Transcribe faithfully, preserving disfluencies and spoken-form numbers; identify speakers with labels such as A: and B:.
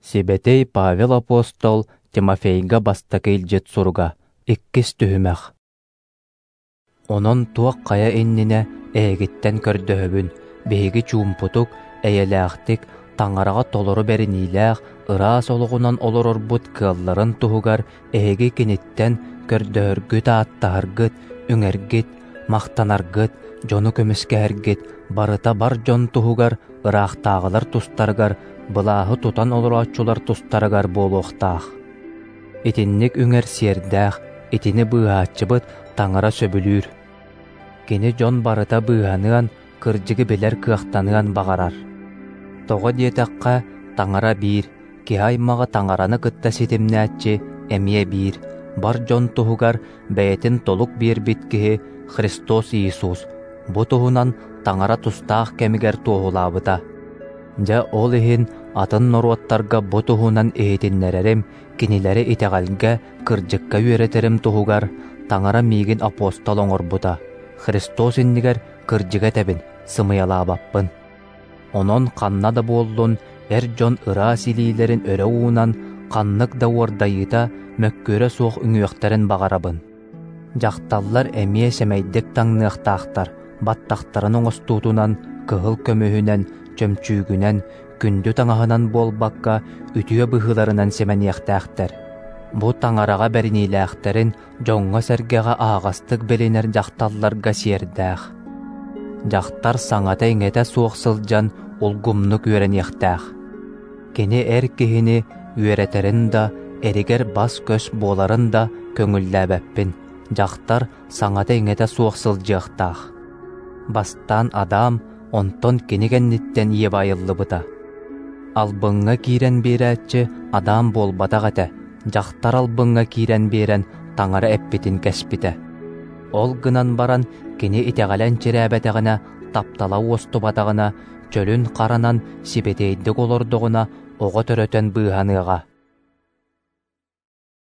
A: Сибэтэй Павел апостол Тимофейга бастакы илдьит суруга, иккис түһүмэх. Онон туох хайа иннинэ эһигиттэн көрдөһөбүн, биһиги чуумпутук, эйэлээхтик, Таҥараҕа толору бэриниилээх, ыраас олоҕунан олорорбут кыалларын туһугар эһиги киниттэн көрдөһөргүт-ааттаһаргыт, үҥэргит, махтанаргыт, дьону көмүскэһэргит барыта бар дьон туһугар, ыраахтааҕылар тустарыгар, былааһы тутан олорооччулар тустарыгар буолуохтаах. Итинник үҥэр сиэрдээх, итини быыһааччыбыт Таҥара сөбүлүүр. Кини дьон барыта быыһаныан, кырдьыгы билэр кыахтаныан баҕарар. Тоҕо диэтэххэ, Таҥара биир, киһи аймаҕы Таҥараны кытта ситимнээччи эмиэ биир, бар дьон туһугар бэйэтин толук биэрбит киһи Христос Иисус. Бу туһунан Таҥара тустаах кэмигэр туоһулаабыта. Дьэ ол иһин атын норуоттарга бу туһунан иһитиннэрэрим, кинилэри итэҕэлгэ, кырдьыкка үөрэтэрим туһугар Таҥара миигин апостол оҥорбута. Христос иннигэр кырдьыга этэбин, сымыйалаабаппын. Онон ханна да буоллун, эр дьон ыраас илиилэрин өрө уунан, ханнык да уордайыыта, мөккүөрэ суох үҥүөхтэрин баҕарабын. Дьахталлар эмиэ сэмэйдик таҥныахтаахтар, баттахтарын оҥостуутунан, кыһыл көмүһүнэн, чөмчүүгүнэн, күндү таҥаһынан буолбакка, үтүө быһыыларынан симэниэхтээхтэр. Бу Таҥараҕа бэриниилээхтэрин дьоҥҥо-сэргэҕэ аһаҕастык билинэр дьахталларга сиэрдээх. Дьахтар саҥата-иҥэтэ суох сылдьан улгумнук үөрэниэхтээх. Кини эр киһини үөрэтэрин да, эригэр бас-көс буоларын да көҥүллээбэппин. Дьахтар саҥата-иҥэтэ суох сылдьыахтаах. Бастаан Адам, онтон кини кэнниттэн Ева айыллыбыта. Албыҥҥа киирэн биэрээччи Адам буолбатах этэ, дьахтар албыҥҥа киирэн биэрэн Таҥара эппитин кэспитэ. Ол гынан баран кини итэҕэлэн чирээбэтэҕинэ, таптала уостубатаҕына, чөлүн харанан сибэтиэйдик олордоҕуна оҕо төрөтөн быыһаныаҕа.